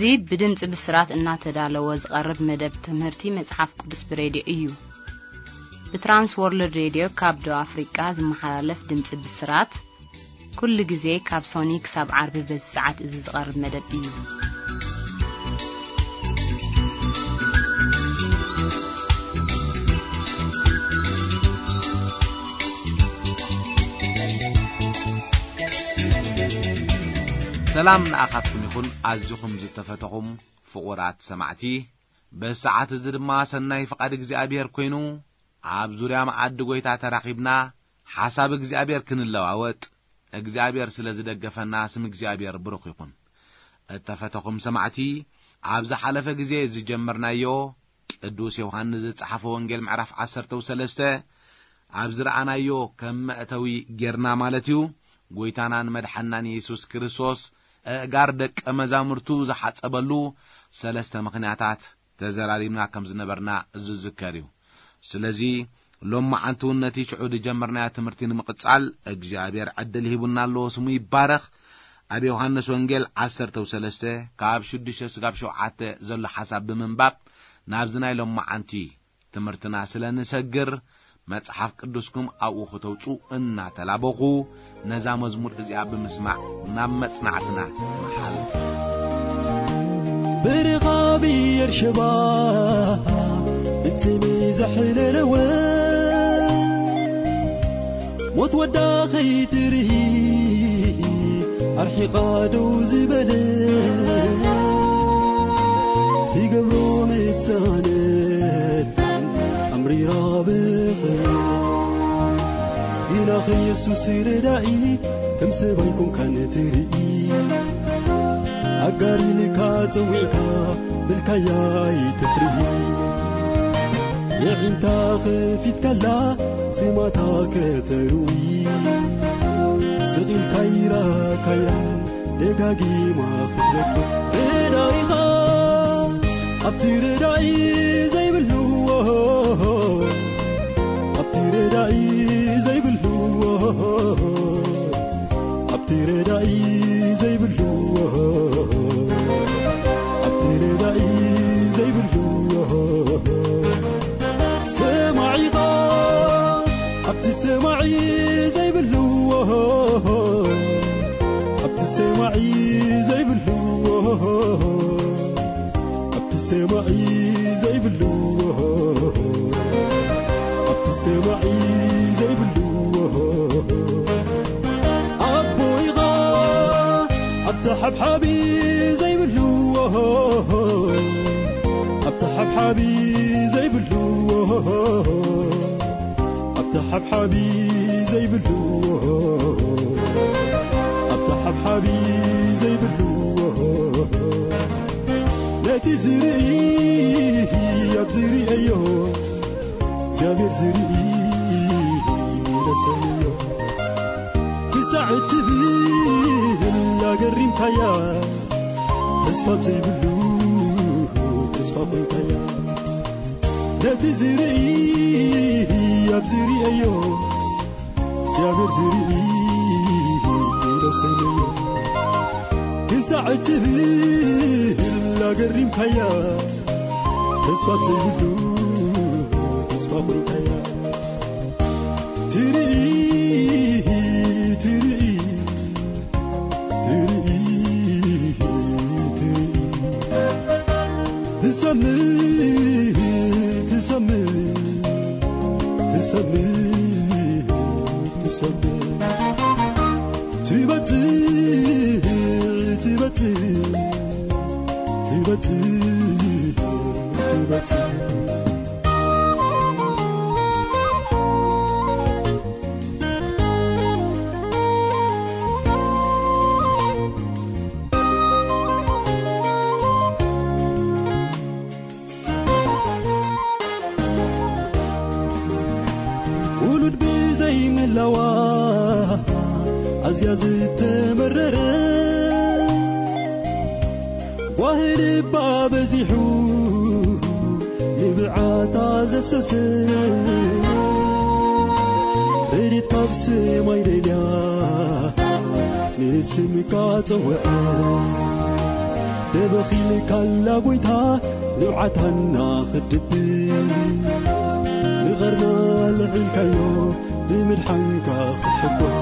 እዚ ብድምፂ ብስራት እናተዳለወ ዝቐርብ መደብ ትምህርቲ መፅሓፍ ቅዱስ ብሬድዮ እዩ። ብትራንስ ወርልድ ሬድዮ ካብ ደቡብ ኣፍሪቃ ዝመሓላለፍ ድምፂ ብስራት ኩሉ ግዜ ካብ ሶኒ ክሳብ ዓርቢ በዚ ሰዓት እዚ ዝቐርብ መደብ እዩ። ሰላም ንኣኻትኩም ይኹን፣ ኣዚኹም ዝተፈተኹም ፍቑራት ሰማዕቲ። በዚ ሰዓት እዚ ድማ ሰናይ ፍቓድ እግዚኣብሔር ኮይኑ፣ ኣብ ዙርያ መኣዲ ጐይታ ተራኺብና፣ ሓሳብ እግዚኣብሔር ክንለዋወጥ፣ እግዚኣብሔር ስለ ዝደገፈና፣ ስም እግዚኣብሔር ብሩኽ ይኹን። እተፈተኹም ሰማዕቲ፣ ኣብ ዝሓለፈ ግዜ ዝጀመርናዮ፣ ቅዱስ ዮሃንስ ዝጸሓፎ ወንጌል ምዕራፍ ዓሰርተ ሰለስተ፣ ኣብ ዝረኣናዮ ከም መእተዊ ጌርና ማለት እዩ፣ ጐይታናን መድሓናን የሱስ ክርስቶስ፣ ኣእጋር ደቀ መዛሙርቱ ዝሓጸበሉ ሰለስተ ምኽንያታት ተዘራሪብና ከም ዝነበርና ዝዝከር እዩ። ስለዚ፣ ሎመዓንቱ ነቲ ሽዑ ዝጀመርናዮ ትምህርቲ ንምቕጻል እግዚኣብሔር ዕድል ሂቡና ኣሎ፣ ስሙ ይባረኽ። ኣብ ዮሃንስ ወንጌል ዓሰርተ ሰለስተ ካብ ሽዱሽተ ስጋብ ሸውዓተ ዘሎ ሓሳብ ብምንባብ ናብዚ ናይ ሎመዓንቲ ትምህርትና ስለ ንሰግር፣ መጽሓፍ ቅዱስኩም ኣብኡ ክተውጹ እናተላበኹ፣ ነዛ መዝሙር እዚኣ ብምስማዕ ናብ መጽናዕትና ንሓልፍ። ብርኻ ብኤርሸባ ብጽሚ ዘሕለለወ፣ ሞት ወዳ ከይትርኢ ኣርሒቓ ደው ዝበለ፣ ትገብሮ ምጻነት ኣምሪራ ብኽያ። ግናኸ የሱስ ረዳኢ፣ ከም ሰብኣይ ኮንካ ንትርኢ። ኣጋር ኢልካ ጸዊዕካ፣ ብልካያ ኣይትፍርሂ። የዒንታ ከፊትካላ፣ ጺማታ ከተርዊ። ስቕ ኢልካ ይራካያ፣ ደጋጊማ ክትረክብ። ረዳኢኻ ኣብቲ ረዳኢ ዘይብሉ፣ ኣብቲ ረዳኢ ዘይብሉ፣ ኣብቲ ረዳኢ ዘይብሉ፣ ኣብቲ ረዳኢ ዘይብሉ፣ ሰማዒኻ ኣብቲ ሰማዒ ዘይብሉ፣ ኣብቲ ሰማዒ ዘይብሉ፣ ኣብቲ ሰማዒ ዘይብሉ፣ ኣብቲ ሰማዒ ዘይብሉ፣ ኣቦ ኢኻ ኣብቲ ሓብሓቢ ዘይብሉ፣ ኣብቲ ሓብሓቢ ዘይብሉ፣ ኣብቲ ሓብሓቢ ዘይብሉ፣ ኣብቲ ሓብሓቢ ዘይብሉ፣ ነቲ ዝርኢ ኣብ ዝርእዮ፣ እግዚኣብሔር ዝርኢ ነሰምዮ። ክሳዕ እትብል ኣገሪምካያ፣ ተስፋ ዘይብሉ ተስፋ ኮንካያ። ነቲ ዝርኢ ኣብ ዝርእዮ፣ እግዚኣብሔር ዝርኢ ኢሎ ሰይመዮ። ክሳዕ እትብል ኣገሪምካያ፣ ተስፋ ዘይብሉ ተስፋ ኮይንካያ። ትርኢ፣ ትርኢ፣ ትርኢ፣ ትርኢ። ትሰምዕ፣ ትሰምዕ፣ ትሰምዕ፣ ትሰምዕ። ትበጽሕ፣ ትበጽሕ፣ ትበጽሕ፣ ትበጽሕ። ውሉድ ብዘይምህላዋ ኣዝያ ዝተመረረ፣ ጓሂ ልባ በዚሑ ንብዓታ ዘፍሰሰ፣ ረድኤት ካብ ሰማይ ደልያ ንስምካ ጸውዐ። ተበኺልካላ ጎይታ ንብዓታና ክድብስ፣ ንቐርና ልዕልካዮ ብምድሓንካ ክሕጎስ።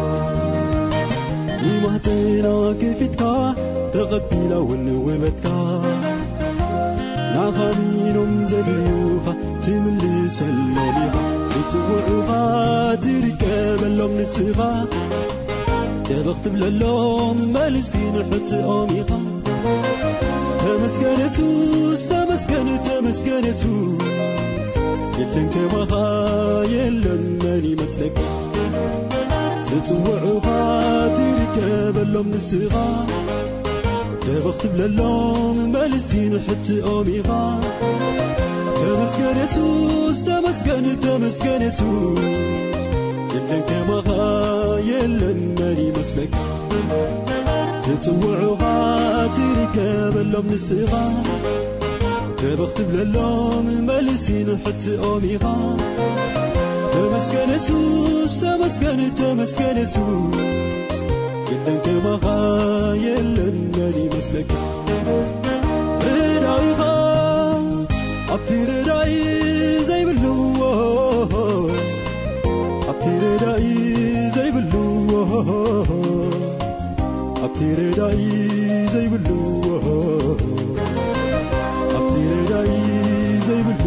ንማህፀና ክፊትካ ተቐቢላ እውን ውበትካ፣ ንዓኻ ኣሚኖም ዘድልዩኻ ትምልሰሎም ኢኻ። ዝጽውዑኻ ትርከበሎም ንስኻ፣ ደበኽ ትብለሎም መልሲ ንሕትኦም ኢኻ። ተመስገን የሱስ፣ ተመስገን፣ ተመስገን የሱስ፣ የለን ከማኻ የለን መን ይመስለካ። ዝጽውዑኻ ትርከበሎም ንስኻ፣ ደበኽ ትብለሎም መልሲ ንሕትኦም ኢኻ። ተመስገን የሱስ፣ ተመስገን፣ ተመስገን የሱስ፣ የለን ከማኻ የለን መን ይመስለካ። ዝጽውዑኻ ትርከበሎም ንስኻ፣ ደበኽ ትብለሎም መልሲ ንሕትኦም ኢኻ። ተመስገን የሱስ፣ ተመስገን፣ ተመስገን የሱስ፣ የለን ከማኻ የለን መን ይመስለካ። ረዳኢኻ ኣብቲ ረዳኢ ዘይብሉ፣ ኣብቲ ረዳኢ ዘይብሉ፣ ኣብቲ ረዳኢ ዘይብሉ፣ ኣብቲ ረዳኢ ዘይብሉ፣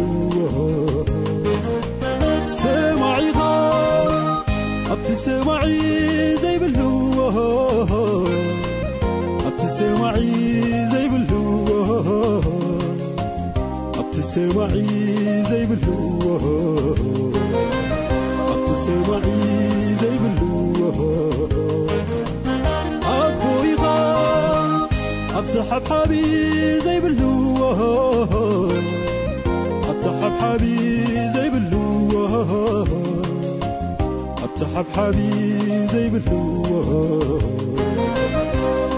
ሰማዒኻ ኣብቲ ሰማዒ ዘይብሉ፣ ኣብቲ ሰማዒ ዘይብሉ፣ ኣብቲ ሰማዒ ዘይብሉ፣ ኣብቲ ሰማዒ ዘይብሉ፣ ኣቦ ኢኻ ኣብቲ ሓብሓቢ ዘይብሉ፣ ኣብቲ ሓብሓቢ ዘይብሉ፣ ኣብቲ ሓብሓቢ ዘይብሉ፣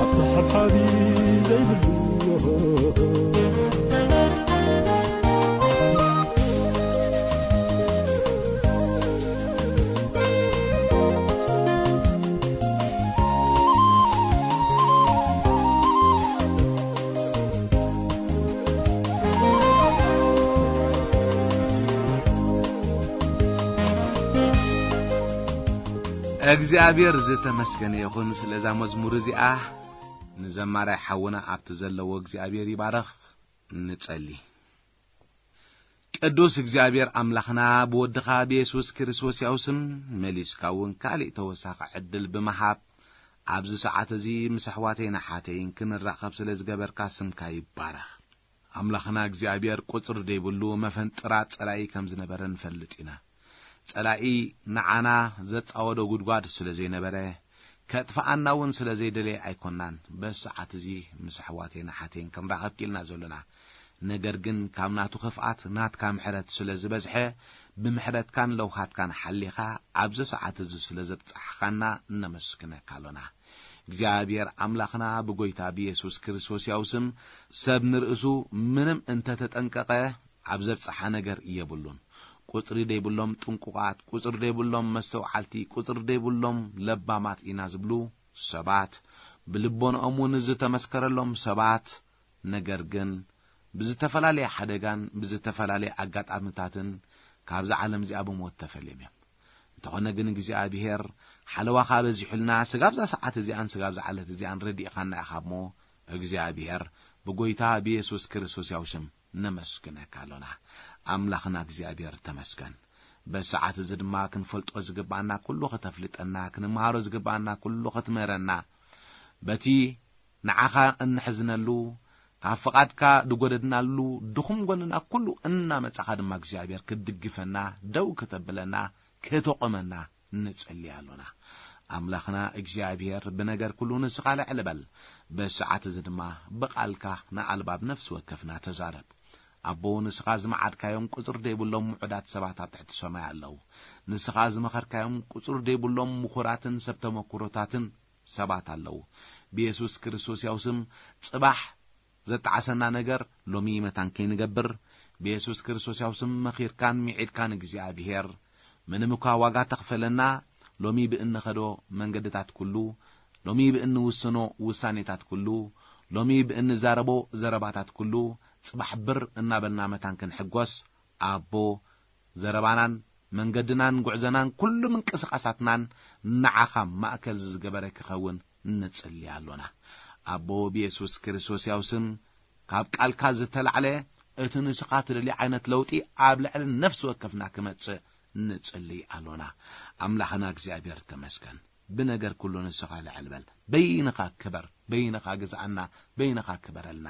ኣብቲ ሓብሓቢ ዘይብሉ፣ እግዚኣብሔር ዝተመስገነ ይኹን ስለዛ መዝሙር እዚኣ። ንዘማራይ ሓውና ኣብቲ ዘለዎ እግዚኣብሔር ይባረኽ። ንጸሊ። ቅዱስ እግዚኣብሔር ኣምላኽና፣ ብወድኻ ብየሱስ ክርስቶስ ያው ስም መሊስካ እውን ካልእ ተወሳኺ ዕድል ብምሃብ፣ ኣብዚ ሰዓት እዚ ምስ ኣሕዋተይን ኣሓተይን ክንራኸብ ስለ ዝገበርካ ስምካ ይባረኽ። ኣምላኽና እግዚኣብሔር ቁጽሪ ዘይብሉ መፈንጥራ ጸላኢ ከም ዝነበረ ንፈልጥ ኢና። ጸላኢ ንዓና ዘጻወዶ ጉድጓድ ስለ ዘይነበረ፣ ከጥፍኣና እውን ስለ ዘይደለየ ኣይኮናን በዚ ሰዓት እዚ ምስ ኣሕዋተይን ኣሓተይን ክንራኸብ ክኢልና ዘሎና። ነገር ግን ካብ ናቱ ክፍኣት ናትካ ምሕረት ስለ ዝበዝሐ፣ ብምሕረትካን ለውሃትካን ሓሊኻ ኣብዚ ሰዓት እዚ ስለ ዘብጻሕኻና እነመስግነካ ኣሎና። እግዚኣብሔር ኣምላኽና ብጎይታ ብየሱስ ክርስቶስ ያው ስም ሰብ ንርእሱ ምንም እንተተጠንቀቐ ኣብ ዘብጽሓ ነገር የብሉን። ቁጽሪ ደይብሎም ጥንቁቓት፣ ቁጽሪ ደይብሎም መስተውዓልቲ፣ ቁጽሪ ደይብሎም ለባማት ኢና ዝብሉ ሰባት፣ ብልቦንኦም እውን ዝተመስከረሎም ሰባት፣ ነገር ግን ብዝተፈላለየ ሓደጋን ብዝተፈላለየ ኣጋጣሚታትን ካብዛ ዓለም እዚኣ ብሞት ተፈልዮም እዮም። እንተኾነ ግን እግዚኣብሔር ሓለዋኻ በዚሑልና፣ ስጋብ እዛ ሰዓት እዚኣን ስጋብ እዛ ዕለት እዚኣን ረዲእኻና ኢኻ እሞ፣ እግዚኣብሔር ብጎይታ ብየሱስ ክርስቶስ ያው ሽም ነመስግነካ ኣሎና። ኣምላኽና እግዚኣብሔር ተመስገን። በዚ ሰዓት እዚ ድማ ክንፈልጦ ዝግባኣና ኩሉ ከተፍልጠና፣ ክንመሃሮ ዝግባኣና ኩሉ ክትምህረና፣ በቲ ንዓኻ እንሕዝነሉ፣ ካብ ፍቓድካ ዝጎደድናሉ ድኹም ጎንና ኩሉ እናመጻኻ ድማ እግዚኣብሔር ክትድግፈና፣ ደው ክተብለና፣ ክተቆመና ንጸሊ ኣሎና። ኣምላኽና እግዚኣብሔር ብነገር ኩሉ ንስኻ ልዕል በል። በዚ ሰዓት እዚ ድማ ብቓልካ ንኣልባብ ነፍሲ ወከፍና ተዛረብ። ኣቦ፣ ንስኻ ዝመዓድካዮም ቁጽሪ ዘይብሎም ምዑዳት ሰባት ኣብ ትሕቲ ሰማይ ኣለዉ። ንስኻ ዝመኸርካዮም ቁጽሪ ዘይብሎም ምኹራትን ሰብ ተመኩሮታትን ሰባት ኣለዉ። ብየሱስ ክርስቶስ ያው ስም ጽባሕ ዘጣዓሰና ነገር ሎሚ መታን ከይንገብር፣ ብየሱስ ክርስቶስ ያው ስም መኺርካን ሚዒድካን እግዚኣብሔር፣ ምንም እኳ ዋጋ ተኽፈለና፣ ሎሚ ብእንኸዶ መንገድታት ኩሉ፣ ሎሚ ብእንውስኖ ውሳኔታት ኩሉ፣ ሎሚ ብእንዛረቦ ዘረባታት ኩሉ ጽባሕ ብር እናበልና መታን ክንሕጎስ፣ ኣቦ፣ ዘረባናን መንገድናን ጉዕዘናን ኩሉ ምንቅስቓሳትናን ንዓኻ ማእከል ዝገበረ ክኸውን ንጽሊ ኣሎና። ኣቦ፣ ብየሱስ ክርስቶስ ያው ስም ካብ ቃልካ ዝተላዕለ እቲ ንስኻ ትደልዮ ዓይነት ለውጢ ኣብ ልዕሊ ነፍሲ ወከፍና ክመጽእ ንጽሊ ኣሎና። ኣምላኽና እግዚኣብሔር ተመስገን። ብነገር ኩሉ ንስኻ ልዕል በል። በይንኻ ክበር፣ በይንኻ ግዝኣና፣ በይንኻ ክበረልና።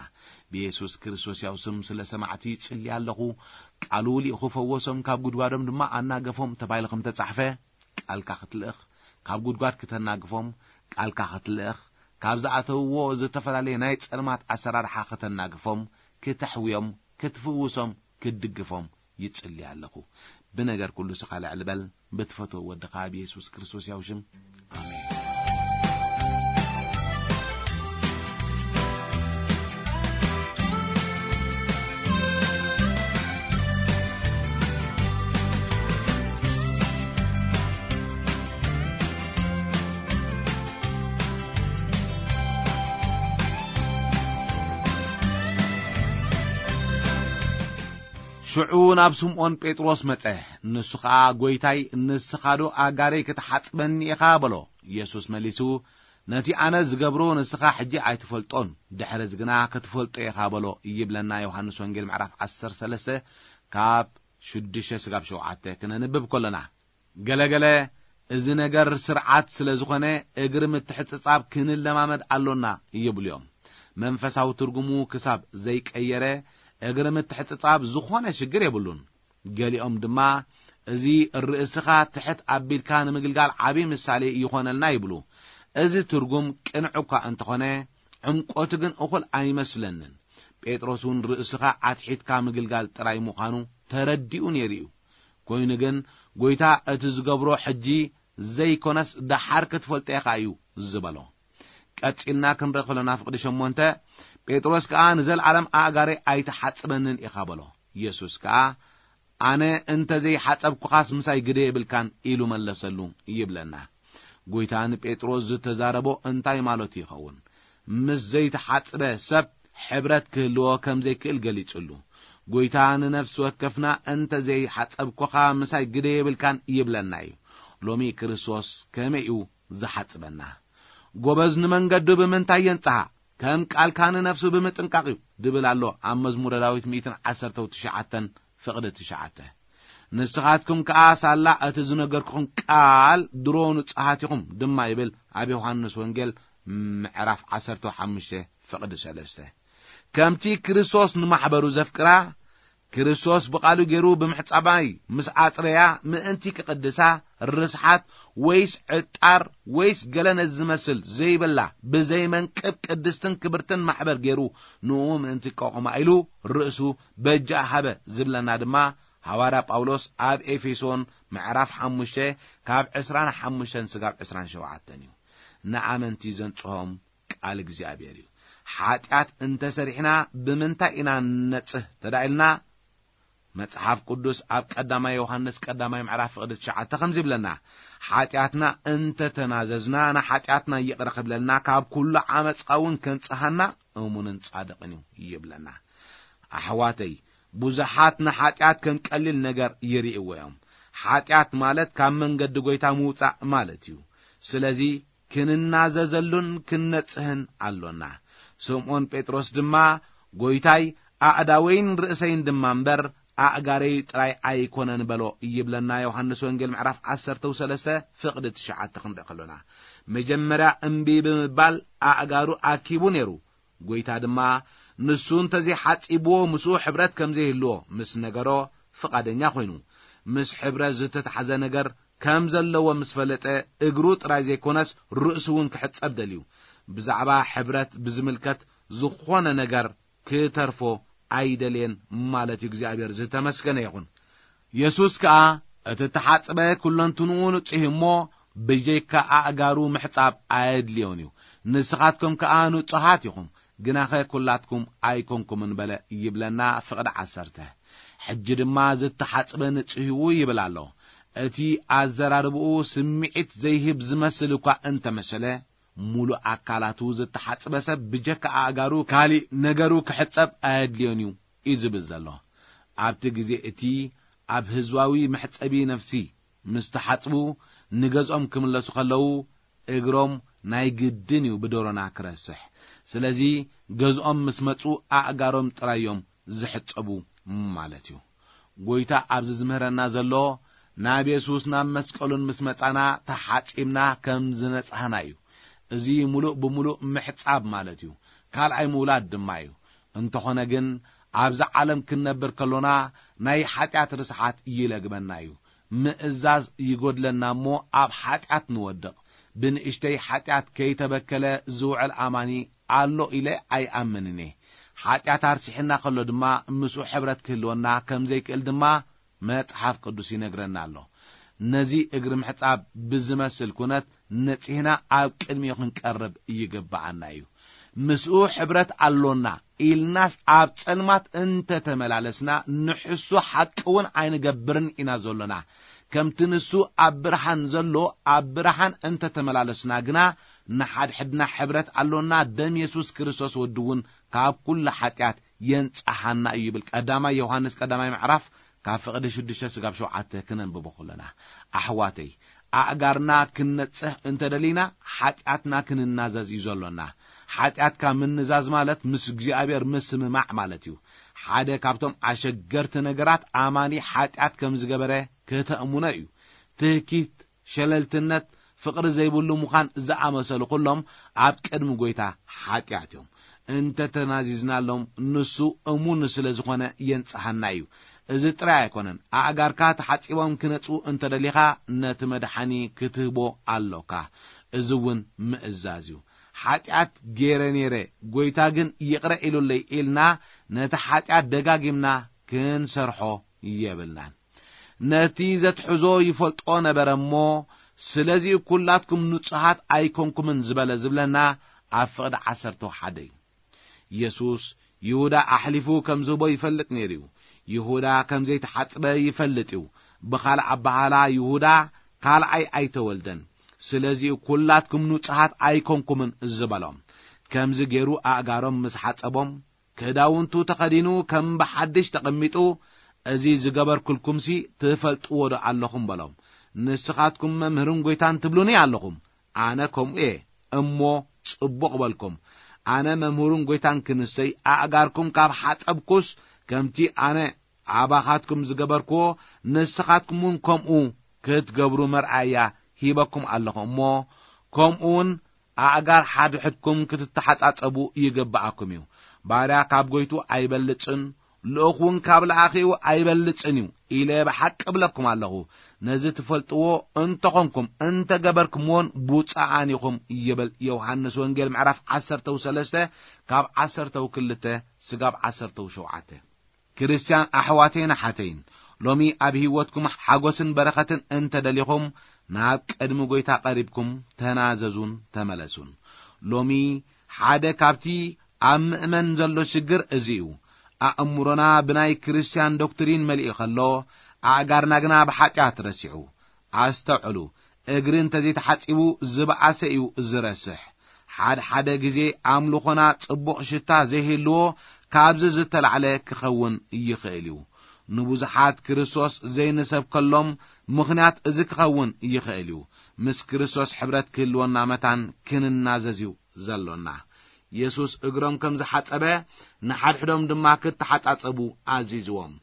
ብየሱስ ክርስቶስ ያው ስም ስለ ሰማዕቲ ይጽሊ ኣለኹ። ቃሉ ልኢኹ ፈወሶም፣ ካብ ጉድጓዶም ድማ ኣናገፎም ተባሂሉ ከም ተጻሕፈ፣ ቃልካ ክትልእኽ፣ ካብ ጉድጓድ ክተናግፎም፣ ቃልካ ክትልእኽ፣ ካብ ዝኣተውዎ ዝተፈላለየ ናይ ጸልማት ኣሰራርሓ ክተናግፎም፣ ክተሕውዮም፣ ክትፍውሶም፣ ክትድግፎም ይጽሊ ኣለኹ። ብነገር ኩሉ ስኻ ልዕል በል፣ ብትፈትዎ ወድኻ ብየሱስ ክርስቶስ ያው ሽም። ኣሜን። ሽዑ ናብ ስምዖን ጴጥሮስ መጸ። ንሱ ኸኣ፣ "ጐይታይ፣ ንስኻ ዶ ኣጋረይ ክትሓጽበኒ ኢኻ?" በሎ። የሱስ መሊሱ፣ "ነቲ ኣነ ዝገብሮ ንስኻ ሕጂ ኣይትፈልጦን፣ ድሕርዚ ግና ክትፈልጦ ኢኻ" በሎ ይብለና ዮሃንስ ወንጌል ምዕራፍ ዓሰርተ ሰለስተ ካብ ሽዱሽተ ስጋብ ሸውዓተ ክነንብብ ከሎና። ገለገለ፣ "እዚ ነገር ስርዓት ስለ ዝኾነ እግሪ ምትሕጽጻብ ክንለማመድ ኣሎና" ይብሉ እዮም። መንፈሳዊ ትርጉሙ ክሳብ ዘይቀየረ እግሪ ምትሕጽጻብ ዝኾነ ሽግር የብሉን። ገሊኦም ድማ፣ "እዚ ርእስኻ ትሕት ኣቢልካ ንምግልጋል ዓቢ ምሳሌ ይኾነልና" ይብሉ። እዚ ትርጉም ቅኑዕ እኳ እንተኾነ፣ ዕምቆቱ ግን እኹል ኣይመስለንን። ጴጥሮስ እውን ርእስኻ ኣትሒትካ ምግልጋል ጥራይ ምዃኑ ተረዲኡ ነይሩ እዩ። ኮይኑ ግን፣ "ጐይታ፣ እቲ ዝገብሮ ሕጂ ዘይኮነስ ደሓር ክትፈልጦ ኢኻ" እዩ ዝበሎ። ቀጺልና ክንርኢ ከለና ፍቕዲ ሸሞንተ፣ ጴጥሮስ ከኣ፣ "ንዘለኣለም ኣእጋረይ ኣይትሓጽበንን ኢኻ" በሎ። የሱስ ከኣ፣ "ኣነ እንተ ዘይሓጸብኩኻስ ምሳይ ግደ የብልካን" ኢሉ መለሰሉ ይብለና። ጐይታ ንጴጥሮስ ዝተዛረቦ እንታይ ማለቱ ይኸውን? ምስ ዘይተሓጽበ ሰብ ሕብረት ክህልዎ ከም ዘይክእል ገሊጹሉ። ጐይታ ንነፍሲ ወከፍና፣ "እንተ ዘይሓጸብኩኻ ምሳይ ግደ የብልካን" ይብለና እዩ። ሎሚ ክርስቶስ ከመይ እዩ ዝሓጽበና? "ጐበዝ ንመንገዱ ብምንታይ የንጽሃ? ከም ቃልካ ንነፍሱ ብምጥንቃቕ እዩ" ድብል ኣሎ ኣብ መዝሙረ ዳዊት ሚእትን ዓሰርተው ትሽዓተን ፍቕዲ ትሽዓተ። "ንስኻትኩም ከኣ ሳላ እቲ ዝነገርኩኹም ቃል ድሮ ንጹሃት ኢኹም" ድማ ይብል ኣብ ዮሃንስ ወንጌል ምዕራፍ ዓሰርተ ሓሙሽተ ፍቕዲ ሰለስተ። ከምቲ ክርስቶስ ንማሕበሩ ዘፍቅራ፣ ክርስቶስ ብቓሉ ገይሩ ብምሕጻባይ ምስ ኣጽረያ፣ ምእንቲ ክቕድሳ፣ ርስሓት ወይስ ዕጣር ወይስ ገለ ነዚ ዝመስል ዘይብላ፣ ብዘይመንቅብ ቅድስትን ክብርትን ማሕበር ገይሩ፣ ንኡ ምእንቲ ከቑማ ኢሉ ርእሱ በጃ ሃበ ዝብለና ድማ፣ ሃዋርያ ጳውሎስ ኣብ ኤፌሶን ምዕራፍ ሓሙሽተ ካብ ዕስራን ሓሙሽተን ስጋብ ዕስራን ሸውዓተን እዩ። ንኣመንቲ ዘንጽሆም ቃል እግዚኣብሔር እዩ። ሓጢኣት እንተ ሰሪሕና ብምንታይ ኢና ንነጽህ ተዳኢልና? መጽሓፍ ቅዱስ ኣብ ቀዳማይ ዮሃንስ ቀዳማይ ምዕራፍ ፍቕዲ ትሽዓተ ከምዚ ይብለና፣ "ሓጢኣትና እንተ ተናዘዝና፣ ንሓጢኣትና ይቕረ ክብለልና፣ ካብ ኩሉ ዓመጻ እውን ከንጽሃና እሙንን ጻድቕን እዩ" ይብለና። ኣሕዋተይ፣ ብዙሓት ንሓጢኣት ከም ቀሊል ነገር ይርእይዎ እዮም። ሓጢኣት ማለት ካብ መንገዲ ጐይታ ምውጻእ ማለት እዩ። ስለዚ ክንናዘዘሉን ክንነጽህን ኣሎና። ስምዖን ጴጥሮስ ድማ፣ "ጐይታይ፣ ኣእዳወይን ርእሰይን ድማ እምበር፣ ኣእጋረይ ጥራይ ኣይኮነን" በሎ ይብለና ዮሃንስ ወንጌል ምዕራፍ ዓሰርተ ሰለስተ ፍቕዲ ትሽዓተ ክንርኢ ከሎና። መጀመርያ እምቢ ብምባል ኣእጋሩ ኣኪቡ ነይሩ። ጐይታ ድማ ንሱ እንተዘይሓጺብዎ ምስኡ ሕብረት ከም ዘይህልዎ ምስ ነገሮ ፍቓደኛ ኾይኑ። ምስ ሕብረት ዝተታሕዘ ነገር ከም ዘለዎ ምስ ፈለጠ እግሩ ጥራይ ዘይኮነስ ርእሱ እውን ክሕጸብ ደልዩ። ብዛዕባ ሕብረት ብዝምልከት ዝኾነ ነገር ክተርፎ ኣይደልየን ማለት እዩ። እግዚኣብሔር ዝተመስገነ ይኹን። የሱስ ከኣ እቲ እተሓጽበ ኩለንትንኡ ንጹህ እዩ እሞ ብጀይካ ኣእጋሩ ምሕጻብ ኣየድልዮን እዩ። ንስኻትኩም ከኣ ንጹሃት ኢኹም፣ ግናኸ ኩላትኩም ኣይኮንኩምን በለ ይብለና ፍቕዲ ዓሰርተ። ሕጂ ድማ ዝተሓጽበ ንጹህ እዩ ይብል ኣሎ። እቲ ኣዘራርባኡ ስምዒት ዘይህብ ዝመስል እኳ እንተመሰለ፣ ሙሉእ ኣካላቱ ዝተሓጽበ ሰብ ብጀካ ኣእጋሩ ካሊእ ነገሩ ክሕጸብ ኣየድልዮን እዩ እዩ ዝብል ዘሎ። ኣብቲ ግዜ እቲ ኣብ ህዝባዊ መሕጸቢ ነፍሲ ምስ ተሓጽቡ ንገዝኦም ክምለሱ ከለዉ እግሮም ናይ ግድን እዩ ብደሮና ክረስሕ። ስለዚ ገዝኦም ምስ መጹ ኣእጋሮም ጥራይ እዮም ዝሕጸቡ ማለት እዩ። ጎይታ ኣብዚ ዝምህረና ዘሎ ናብ የሱስ ናብ መስቀሉን ምስ መጻና ተሓጺብና ከም ዝነጻህና እዩ። እዚ ሙሉእ ብሙሉእ ምሕጻብ ማለት እዩ። ካልኣይ ምውላድ ድማ እዩ። እንተኾነ ግን ኣብዚ ዓለም ክንነብር ከሎና ናይ ሓጢኣት ርስሓት ይለግበና እዩ። ምእዛዝ ይጎድለና እሞ ኣብ ሓጢኣት ንወድቕ። ብንእሽተይ ሓጢኣት ከይተበከለ ዝውዕል ኣማኒ ኣሎ ኢለ ኣይኣምንን እየ። ሓጢኣት ኣርሲሕና ከሎ ድማ ምስኡ ሕብረት ክህልወና ከም ዘይክእል ድማ መጽሓፍ ቅዱስ ይነግረና ኣሎ። ነዚ እግሪ ምሕጻብ ብዝመስል ኩነት ነጺህና ኣብ ቅድሚኡ ክንቀርብ ይግብኣና እዩ። ምስኡ ሕብረት ኣሎና ኢልናስ ኣብ ጸልማት እንተተመላለስና ንሕሱ ሓቂ እውን ኣይንገብርን ኢና ዘሎና። ከምቲ ንሱ ኣብ ብርሃን ዘሎ ኣብ ብርሃን እንተተመላለስና ግና ንሓድሕድና ሕብረት ኣሎና። ደም የሱስ ክርስቶስ ወዲ እውን ካብ ኩሉ ሓጢኣት የንጻሃና እዩ ይብል ቀዳማይ ዮሃንስ ቀዳማይ ምዕራፍ ካብ ፍቕዲ ሽዱሽተ ስጋብ ሸውዓተ ክነንብቦ ከለና። ኣሕዋተይ፣ ኣእጋርና ክንነጽህ እንተደሊና ሓጢኣትና ክንናዘዝ እዩ ዘሎና። ሓጢኣትካ ምንዛዝ ማለት ምስ እግዚኣብሔር ምስምማዕ ማለት እዩ። ሓደ ካብቶም ኣሸገርቲ ነገራት ኣማኒ ሓጢኣት ከም ዝገበረ ከተእምኖ እዩ። ትህኪት፣ ሸለልትነት፣ ፍቕሪ ዘይብሉ ምዃን ዝኣመሰሉ ኩሎም ኣብ ቅድሚ ጎይታ ሓጢኣት እዮም። እንተ ተናዚዝናሎም ንሱ እሙን ስለ ዝኾነ የንጽሃና እዩ። እዚ ጥራይ ኣይኮነን፣ ኣእጋርካ ተሓጺቦም ክነጽዉ እንተ ደሊኻ ነቲ መድሓኒ ክትህቦ ኣሎካ። እዚ እውን ምእዛዝ እዩ። ሓጢኣት ገይረ ነይረ፣ ጎይታ ግን ይቕረ ኢሉለይ ኢልና ነቲ ሓጢኣት ደጋጊምና ክንሰርሖ የብልናን። ነቲ ዘትሕዞ ይፈልጦ ነበረ እሞ፣ ስለዚኡ ኩላትኩም ንጹሃት ኣይኮንኩምን ዝበለ ዝብለና ኣብ ፍቕዲ ዓሰርተ ሓደ እዩ። የሱስ ይሁዳ ኣሕሊፉ ከም ዝህቦ ይፈልጥ ነይሩ እዩ። ይሁዳ ከም ዘይተሓጽበ ይፈልጥ እዩ። ብኻልእ ኣበሃህላ ይሁዳ ካልኣይ ኣይተወልደን። ስለዚኡ ኩላትኩም ንጹሃት ኣይኮንኩምን ዝበሎም። ከምዚ ገይሩ ኣእጋሮም ምስ ሓጸቦም፣ ክዳውንቱ ተኸዲኑ ከም ብሓድሽ ተቐሚጡ፣ እዚ ዝገበርኩልኩምሲ ትፈልጥዎ ዶ ኣለኹም በሎም። ንስኻትኩም መምህርን ጐይታን ትብሉኒ ኣለኹም። ኣነ ከምኡ እየ እሞ ጽቡቕ በልኩም። ኣነ መምህሩን ጐይታን ክንሰይ ኣእጋርኩም ካብ ሓጸብኩስ፣ ከምቲ ኣነ ኣባኻትኩም ዝገበርክዎ ንስኻትኩም እውን ከምኡ ክትገብሩ መርኣያ ሂበኩም ኣለኹ እሞ፣ ከምኡ እውን ኣእጋር ሓድሕድኩም ክትተሓጻጸቡ ይግብኣኩም እዩ። ባርያ ካብ ጐይቱ ኣይበልጽን፣ ልኡኽ እውን ካብ ለኣኺኡ ኣይበልጽን እዩ ኢለ ብሓቂ እብለኩም ኣለኹ። ነዚ ትፈልጥዎ እንተኾንኩም እንተገበርኩምዎን ብፁዓን ኢኹም ይብል ዮሃንስ ወንጌል ምዕራፍ ዓሰርተው ሰለስተ ካብ ዓሰርተው ክልተ ስጋብ ዓሰርተው ሸውዓተ። ክርስትያን ኣሕዋተይን ኣሓተይን፣ ሎሚ ኣብ ህይወትኩም ሓጎስን በረኸትን እንተ ደሊኹም፣ ናብ ቅድሚ ጐይታ ቀሪብኩም ተናዘዙን ተመለሱን። ሎሚ ሓደ ካብቲ ኣብ ምእመን ዘሎ ሽግር እዚ እዩ። ኣእምሮና ብናይ ክርስትያን ዶክትሪን መሊኡ ከሎ፣ ኣእጋርና ግና ብሓጢኣት ረሲዑ። ኣስተውዕሉ፣ እግሪ እንተ ዘይተሓጺቡ ዝበኣሰ እዩ ዝረስሕ። ሓደ ሓደ ግዜ ኣምልኾና ጽቡቕ ሽታ ዘይህልዎ ካብዚ ዝተላዕለ ክኸውን ይኽእል እዩ። ንብዙሓት ክርስቶስ ዘይንሰብከሎም ምኽንያት እዚ ክኸውን ይኽእል እዩ። ምስ ክርስቶስ ሕብረት ክህልወና መታን ክንናዘዝ እዩ ዘሎና። የሱስ እግሮም ከም ዝሓጸበ ንሓድሕዶም ድማ ክተሓጻጸቡ ኣዚዝዎም።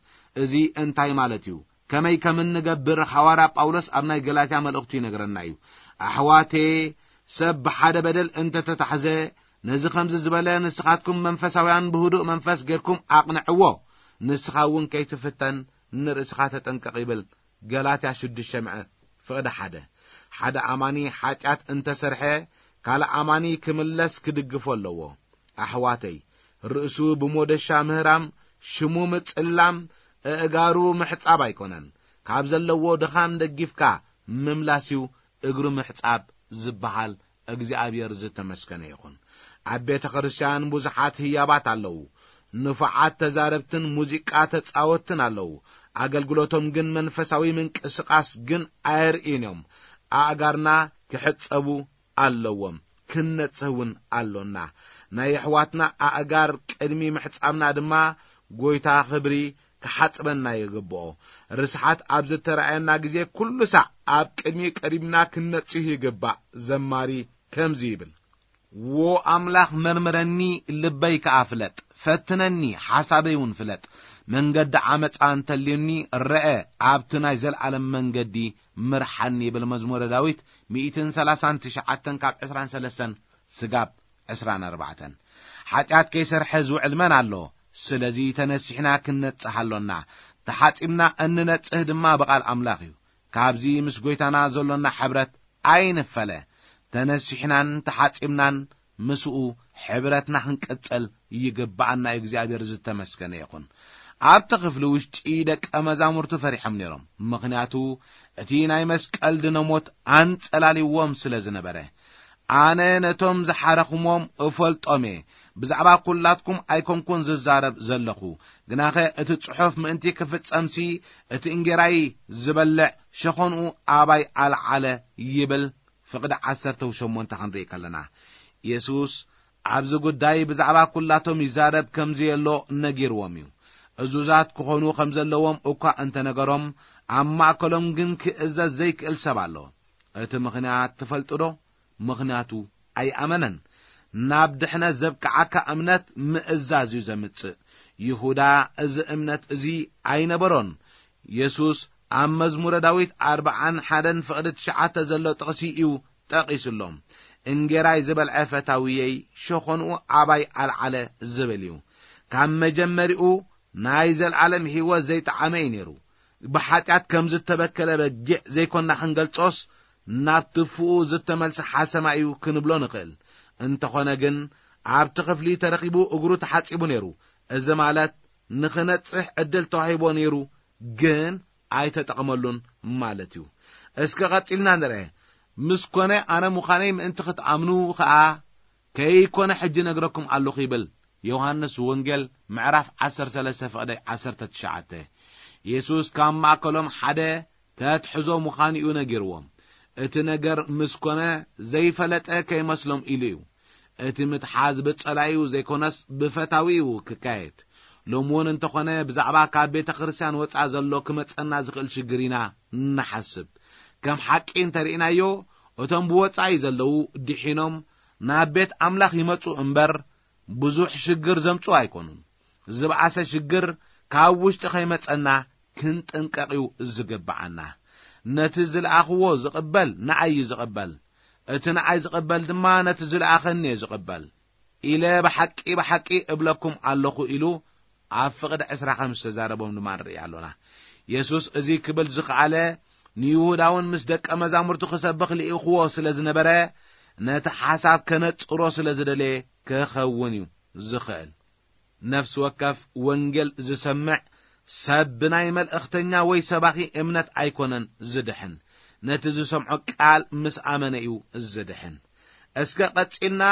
እዚ እንታይ ማለት እዩ? ከመይ ከም እንገብር ሃዋርያ ጳውሎስ ኣብ ናይ ገላትያ መልእኽቱ ይነግረና እዩ። ኣሕዋቴ፣ ሰብ ብሓደ በደል እንተ ተታሕዘ፣ ነዚ ከምዚ ዝበለ ንስኻትኩም መንፈሳውያን ብህዱእ መንፈስ ጌርኩም ኣቕንዕዎ። ንስኻ እውን ከይትፍተን ንርእስኻ ተጠንቀቕ ይብል። ገላትያ ሽዱሽተ ምዕራፍ ፍቕዲ ሓደ። ሓደ ኣማኒ ሓጢኣት እንተ ሰርሐ፣ ካልእ ኣማኒ ክምለስ ክድግፎ ኣለዎ። ኣሕዋተይ፣ ርእሱ ብሞደሻ ምህራም፣ ሽሙ ምጽላም፣ ኣእጋሩ ምሕጻብ ኣይኮነን። ካብ ዘለዎ ድኻም ደጊፍካ ምምላስ እዩ እግሩ ምሕጻብ ዝበሃል። እግዚኣብሔር ዝተመስገነ ይኹን። ኣብ ቤተ ክርስቲያን ብዙሓት ህያባት ኣለዉ። ንፉዓት ተዛረብትን ሙዚቃ ተጻወትን ኣለዉ። ኣገልግሎቶም ግን መንፈሳዊ ምንቅስቓስ ግን ኣየርእዩን እዮም። ኣእጋርና ክሕጸቡ ኣለዎም። ክንነጽህ እውን ኣሎና። ናይ ኣሕዋትና ኣእጋር ቅድሚ ምሕጻብና ድማ ጎይታ ክብሪ ክሓጽበና ይግብኦ። ርስሓት ኣብ ዝተራእየና ግዜ ኩሉ ሳዕ ኣብ ቅድሚ ቀሪብና ክንነጽህ ይግባእ። ዘማሪ ከምዚ ይብል፣ "ዎ ኣምላኽ መርምረኒ፣ ልበይ ከኣ ፍለጥ፣ ፈትነኒ፣ ሓሳበይ እውን ፍለጥ። መንገዲ ዓመጻ እንተልዩኒ ረአ፣ ኣብቲ ናይ ዘለኣለም መንገዲ ምርሓኒ" ይብል መዝሙረ ዳዊት ሚእትን ሰላሳን ትሽዓተን ካብ ዕስራን ሰለስተን ስጋብ ዕስራን ኣርባዕተን። ሓጢኣት ከይሰርሐ ዝውዕል መን ኣሎ? ስለዚ ተነሲሕና ክንነጽህ ኣሎና። ተሓጺብና እንነጽህ ድማ ብቓል ኣምላኽ እዩ። ካብዚ ምስ ጐይታና ዘሎና ሕብረት ኣይንፈለ። ተነሲሕናን ተሓጺብናን ምስኡ ሕብረትና ክንቅጽል ይግብኣና እዩ። እግዚኣብሔር ዝተመስገነ ይኹን። ኣብቲ ክፍሊ ውሽጢ ደቀ መዛሙርቱ ፈሪሖም ነይሮም፣ ምኽንያቱ እቲ ናይ መስቀል ድነ ሞት ኣንጸላልይዎም ስለ ዝነበረ። ኣነ ነቶም ዝሓረኹሞም እፈልጦም እየ። ብዛዕባ ኵላትኩም ኣይኮንኩን ዝዛረብ ዘለኹ፣ ግናኸ እቲ ጽሑፍ ምእንቲ ክፍጸምሲ፣ እቲ እንጌራይ ዝበልዕ ሸኾንኡ ኣባይ ኣልዓለ ይብል። ፍቕዲ ዓሰርተ ሸሞንተ ክንርኢ ከለና፣ የሱስ ኣብዚ ጉዳይ ብዛዕባ ኵላቶም ይዛረብ ከም ዘየሎ ነጊርዎም እዩ። እዙዛት ክኾኑ ከም ዘለዎም እኳ እንተነገሮም፣ ኣብ ማእከሎም ግን ክእዘዝ ዘይክእል ሰብ ኣሎ። እቲ ምኽንያት ትፈልጡ ዶ? ምኽንያቱ ኣይኣመነን። ናብ ድሕነት ዘብቅዓካ እምነት ምእዛዝ እዩ ዘምጽእ። ይሁዳ እዚ እምነት እዚ ኣይነበሮን። የሱስ ኣብ መዝሙረ ዳዊት ኣርብዓን ሓደን ፍቕዲ ትሽዓተ ዘሎ ጥቕሲ እዩ ጠቒሱሎም። "እንጌራይ ዝበልዐ ፈታውየይ፣ ሸኾንኡ ኣባይ ኣልዓለ" ዝብል እዩ። ካብ መጀመሪኡ ናይ ዘለኣለም ህይወት ዘይጠዓመ እዩ ነይሩ። ብሓጢኣት ከም ዝተበከለ በጊዕ ዘይኮንና ክንገልጾስ፣ ናብ ትፉኡ ዝተመልሰ ሓሰማ እዩ ክንብሎ ንኽእል። እንተኾነ ግን፣ ኣብቲ ክፍሊ ተረኺቡ እግሩ ተሓጺቡ ነይሩ። እዚ ማለት ንኽነጽህ ዕድል ተዋሂቦ ነይሩ፣ ግን ኣይተጠቕመሉን ማለት እዩ። እስከ ቀጺልና ንርአ። "ምስ ኮነ ኣነ ምዃነይ ምእንቲ ክትኣምኑ ኸኣ ከይኮነ ሕጂ ነግረኩም ኣለኹ" ይብል። ዮሃንስ ወንጌል ምዕራፍ ዓሰርተ ሰለስተ ፍቕዲ ዓሰርተ ትሽዓተ። የሱስ ካብ ማእከሎም ሓደ ተትሕዞ ምዃኑ እዩ ነጊርዎም። እቲ ነገር ምስ ኮነ ዘይፈለጠ ከይመስሎም ኢሉ እዩ። እቲ ምትሓዝ ብጸላዩ ዘይኮነስ ብፈታዊ እዩ ክካየድ። ሎሚ እውን እንተኾነ ብዛዕባ ካብ ቤተ ክርስቲያን ወጻ ዘሎ ክመጸና ዝኽእል ሽግር ኢና ንሓስብ። ከም ሓቂ እንተርኢናዮ፣ እቶም ብወጻኢ ዘለዉ ድሒኖም ናብ ቤት ኣምላኽ ይመጹ እምበር፣ ብዙሕ ሽግር ዘምጽኡ ኣይኮኑን። ዝበኣሰ ሽግር ካብ ውሽጢ ከይመጸና ክንጥንቀቕ እዩ ዝግብኣና። "ነቲ ዝለኣኽዎ ዝቕበል ንኣይ እዩ ዝቕበል፣ እቲ ንኣይ ዝቕበል ድማ ነቲ ዝለኣኸኒ እዩ ዝቕበል" ኢለ ብሓቂ ብሓቂ እብለኩም ኣለኹ ኢሉ ኣብ ፍቕዲ ዕስራ ከም ዝተዛረቦም ድማ ንርኢ ኣሎና። የሱስ እዚ ክብል ዝኸኣለ፣ ንይሁዳውን ምስ ደቀ መዛሙርቱ ክሰብኽ ልኢኽዎ ስለ ዝነበረ፣ ነቲ ሓሳብ ከነጽሮ ስለ ዝደለየ ክኸውን እዩ ዝኽእል። ነፍሲ ወከፍ ወንጌል ዝሰምዕ ሰብ ብናይ መልእኽተኛ ወይ ሰባኺ እምነት ኣይኮነን ዝድሕን፣ ነቲ ዝሰምዖ ቃል ምስ ኣመነ እዩ ዝድሕን። እስከ ቀጺልና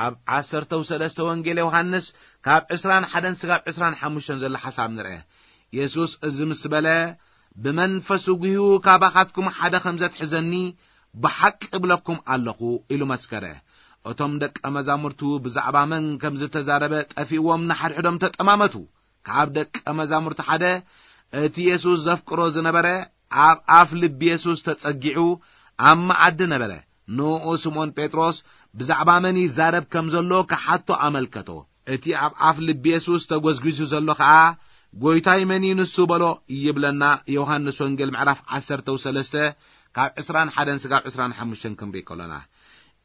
ኣብ ዓሰርተው ሰለስተ ወንጌል ዮሃንስ ካብ ዕስራን ሓደን ስጋብ ዕስራን ሓሙሽተን ዘሎ ሓሳብ ንርአ። የሱስ እዚ ምስ በለ፣ "ብመንፈሱ ጉህዩ ካባኻትኩም ሓደ ከም ዘትሕዘኒ ብሓቂ እብለኩም ኣለኹ" ኢሉ መስከረ። እቶም ደቀ መዛሙርቱ ብዛዕባ መን ከም ዝተዛረበ ጠፊእዎም ንሓድሕዶም ተጠማመቱ። ካብ ደቀ መዛሙርቱ ሓደ፣ እቲ የሱስ ዘፍቅሮ ዝነበረ፣ ኣብ ኣፍ ልቢ የሱስ ተጸጊዑ ኣብ መኣዲ ነበረ። ንኡ ስምዖን ጴጥሮስ ብዛዕባ መን ይዛረብ ከም ዘሎ ክሓቶ ኣመልከቶ። እቲ ኣብ ኣፍ ልቢ የሱስ ተጎዝጒዙ ዘሎ ኸኣ፣ "ጐይታይ መን እዩ ንሱ?" በሎ ይብለና ዮሃንስ ወንጌል ምዕራፍ ዓሰርተው ሰለስተ ካብ ዕስራን ሓደን ስጋብ ዕስራን ሓሙሽተን ክንርኢ ከሎና።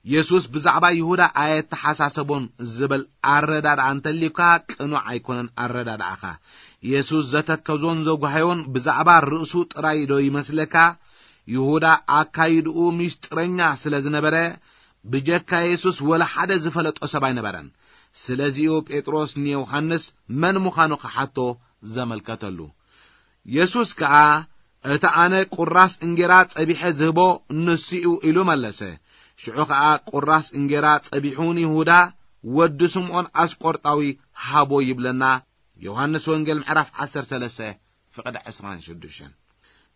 የሱስ ብዛዕባ ይሁዳ ኣየተሓሳሰቦን ዝብል ኣረዳድኣ እንተልዩካ ቅኑዕ ኣይኮነን ኣረዳድኣኻ። የሱስ ዘተከዞን ዘጓሃዮን ብዛዕባ ርእሱ ጥራይ ዶ ይመስለካ? ይሁዳ ኣካይድኡ ምስጢረኛ ስለ ዝነበረ፣ ብጀካ የሱስ ወላ ሓደ ዝፈለጦ ሰብ ኣይነበረን። ስለዚ'ዩ ጴጥሮስ ንዮሃንስ መን ምዃኑ ክሓቶ ዘመልከተሉ። የሱስ ከኣ፣ "እቲ ኣነ ቁራስ እንጌራ ጸቢሐ ዝህቦ ንሱ እዩ" ኢሉ መለሰ። ሽዑ ኸኣ ቁራስ እንጌራ ጸቢሑ ንይሁዳ ወዲ ስምዖን ኣስቆርጣዊ ሃቦ ይብለና ዮሃንስ ወንጌል ምዕራፍ ዓሰርተ ሰለስተ ፍቕዲ ዕስራን ሽዱሽተን።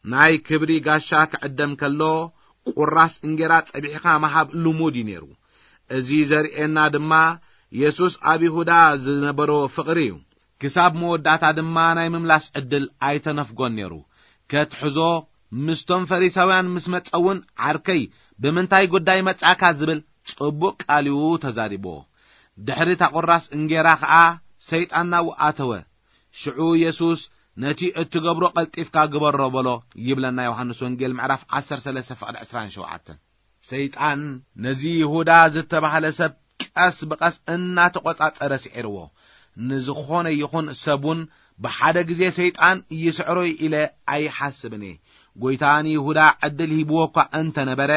ናይ ክብሪ ጋሻ ክዕደም ከሎ፣ ቁራስ እንጌራ ጸቢሕኻ ምሃብ ልሙድ እዩ ነይሩ። እዚ ዘርእየና ድማ የሱስ ኣብ ይሁዳ ዝነበሮ ፍቕሪ እዩ። ክሳብ መወዳእታ ድማ ናይ ምምላስ ዕድል ኣይተነፍጎን ነይሩ። ከትሕዞ፣ ምስቶም ፈሪሳውያን ምስ መጸ እውን፣ "ዓርከይ፣ ብምንታይ ጉዳይ መጻእካ?" ዝብል ጽቡቕ ቃል እዩ ተዛሪብዎ። ድሕሪ እታ ቁራስ እንጌራ ኸኣ ሰይጣን ናብኡ ኣተወ። ሽዑ የሱስ፣ "ነቲ እትገብሮ ቀልጢፍካ ግበሮ" በሎ፣ ይብለና ዮሃንስ ወንጌል ምዕራፍ ዓሰርተ ሰለስተ ፍቕዲ ዕስራን ሸውዓተን። ሰይጣን ነዚ ይሁዳ ዝተባህለ ሰብ ቀስ ብቐስ እናተቖጻጸረ ስዒርዎ። ንዝኾነ ይኹን ሰብ እውን ብሓደ ግዜ ሰይጣን ይስዕሮ ኢለ ኣይሓስብን እየ። ጎይታ ንይሁዳ ዕድል ሂብዎ እኳ እንተነበረ፣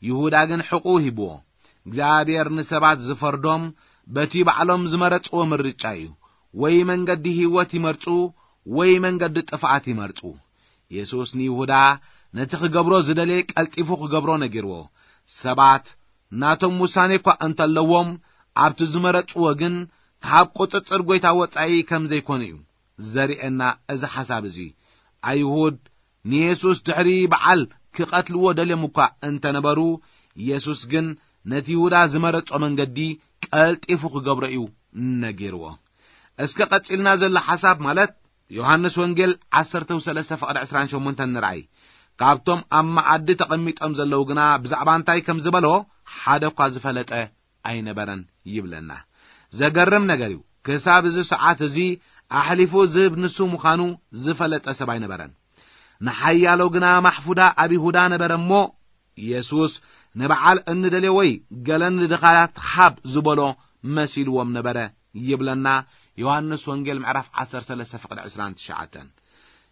ይሁዳ ግን ሕቑኡ ሂብዎ። እግዚኣብሔር ንሰባት ዝፈርዶም በቲ ባዕሎም ዝመረጽዎ ምርጫ እዩ። ወይ መንገዲ ህይወት ይመርጹ፣ ወይ መንገዲ ጥፍኣት ይመርጹ። የሱስ ንይሁዳ ነቲ ክገብሮ ዝደለየ ቀልጢፉ ክገብሮ ነጊርዎ። ሰባት ናቶም ውሳኔ እኳ እንተለዎም፣ ኣብቲ ዝመረጽዎ ግን ካብ ቁጽጽር ጎይታ ወጻኢ ከም ዘይኮነ እዩ ዘርእየና እዚ ሓሳብ እዚ። ኣይሁድ ንየሱስ ድሕሪ በዓል ክቐትልዎ ደልዮም እኳ እንተነበሩ፣ የሱስ ግን ነቲ ይሁዳ ዝመረጾ መንገዲ ቀልጢፉ ክገብሮ እዩ ነጊርዎ። እስከ ቀጺልና ዘሎ ሓሳብ ማለት ዮሃንስ ወንጌል ዓሰርተ ሰለስተ ፍቕዲ ዕስራን ሸሞንተን ንርኣይ። ካብቶም ኣብ መኣዲ ተቐሚጦም ዘለዉ ግና ብዛዕባ እንታይ ከም ዝበሎ ሓደ እኳ ዝፈለጠ ኣይነበረን ይብለና። ዘገርም ነገር እዩ። ክሳብ እዚ ሰዓት እዚ ኣሕሊፉ ዝህብ ንሱ ምዃኑ ዝፈለጠ ሰብ ኣይነበረን። ንሓያሎ ግና ማሕፉዳ ኣብ ይሁዳ ነበረ እሞ፣ የሱስ ንበዓል እንደልዮ ወይ ገለ ንድኻታት ሃብ ዝበሎ መሲልዎም ነበረ ይብለና ዮሃንስ ወንጌል ምዕራፍ ዓሰርተ ሰለስተ ፍቕዲ ዕስራን ትሽዓተን።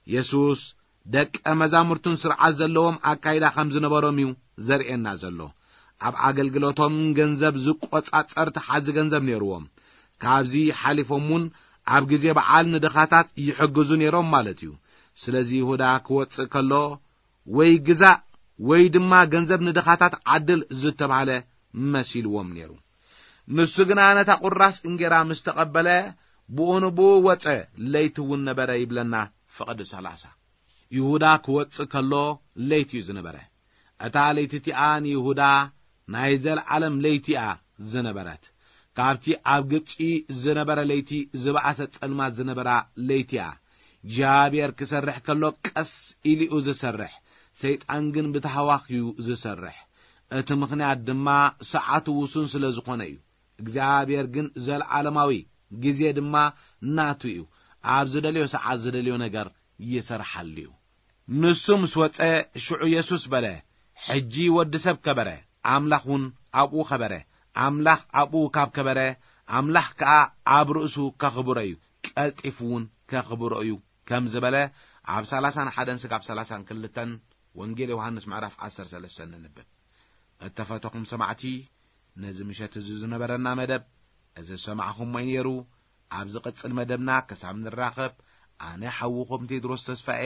የሱስ ደቀ መዛሙርቱን ስርዓት ዘለዎም ኣካይዳ ከም ዝነበሮም እዩ ዘርእየና ዘሎ። ኣብ ኣገልግሎቶም ገንዘብ ዝቆጻጸር ተሓዚ ገንዘብ ነይርዎም። ካብዚ ሓሊፎም እውን ኣብ ግዜ በዓል ንድኻታት ይሕግዙ ነይሮም ማለት እዩ። ስለዚ ይሁዳ ክወጽእ ከሎ ወይ ግዛእ ወይ ድማ ገንዘብ ንድኻታት ዓድል ዝተባህለ መሲልዎም ነይሩ። ንሱ ግና ነታ ቁራስ እንጌራ ምስ ተቐበለ ብኡ ንብኡ ወጸ፣ ለይቲ እውን ነበረ ይብለና ፍቕዲ ሰላሳ። ይሁዳ ክወጽእ ከሎ ለይቲ እዩ ዝነበረ። እታ ለይቲ እቲኣ ንይሁዳ ናይ ዘለዓለም ለይቲ እያ ዝነበረት። ካብቲ ኣብ ግብጺ ዝነበረ ለይቲ ዝበኣሰ ጸልማት ዝነበራ ለይቲ እያ። እግዚኣብሔር ክሰርሕ ከሎ ቀስ ኢሉ እዩ ዝሰርሕ፣ ሰይጣን ግን ብታህዋኽ እዩ ዝሰርሕ። እቲ ምኽንያት ድማ ሰዓቱ ውሱን ስለ ዝኾነ እዩ። እግዚኣብሔር ግን ዘለዓለማዊ፣ ግዜ ድማ ናቱ እዩ። ኣብ ዝደልዮ ሰዓት ዝደልዮ ነገር ይሰርሓሉ እዩ። ንሱ ምስ ወጸ፣ ሽዑ የሱስ በለ፣ "ሕጂ ወዲ ሰብ ከበረ፣ ኣምላኽ እውን ኣብኡ ከበረ። ኣምላኽ ኣብኡ ካብ ከበረ፣ ኣምላኽ ከኣ ኣብ ርእሱ ከኽብሮ እዩ፣ ቀልጢፉ እውን ከኽብሮ እዩ" ከም ዝበለ ኣብ ሰላሳን ሓደን ስጋብ ሰላሳን ክልተን ወንጌል ዮሃንስ ምዕራፍ ዓሰርተ ሰለስተ ንንብብ። እተፈተኹም ሰማዕቲ፣ ነዚ ምሸት እዚ ዝነበረና መደብ እዚ ዝሰማዕኹሞ እዩ ነይሩ። ኣብ ዝቕጽል መደብና ክሳብ ንራኸብ፣ ኣነ ሓውኹም ቴድሮስ ተስፋኤ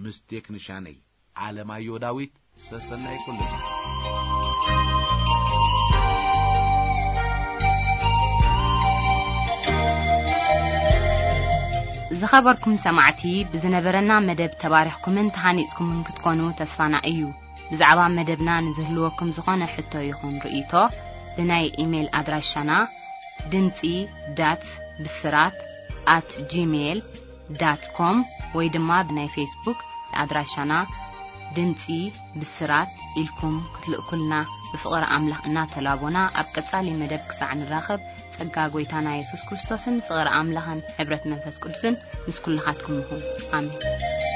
ምስ ቴክኒሻነይ ኣለማዮ ዳዊት ሰሰናይ ኩሉ። ዝኸበርኩም ሰማዕቲ፣ ብዝነበረና መደብ ተባሪኽኩምን ተሃኒጽኩምን ክትኮኑ ተስፋና እዩ። ብዛዕባ መደብና ንዝህልወኩም ዝኾነ ሕቶ ይኹን ርእይቶ፣ ብናይ ኢሜይል ኣድራሻና ድምጺ ዳት ብስራት ኣት ጂሜይል ዳት ኮም ወይ ድማ ብናይ ፌስቡክ ኣድራሻና ድምጺ ብስራት ኢልኩም ክትልእኩልና ብፍቕሪ ኣምላኽ እናተላቦና፣ ኣብ ቀጻሊ መደብ ክሳዕ ንራኸብ፣ ጸጋ ጐይታና የሱስ ክርስቶስን ፍቕሪ ኣምላኽን ሕብረት መንፈስ ቅዱስን ምስ ኩልኻትኩም ይኹን። ኣሜን።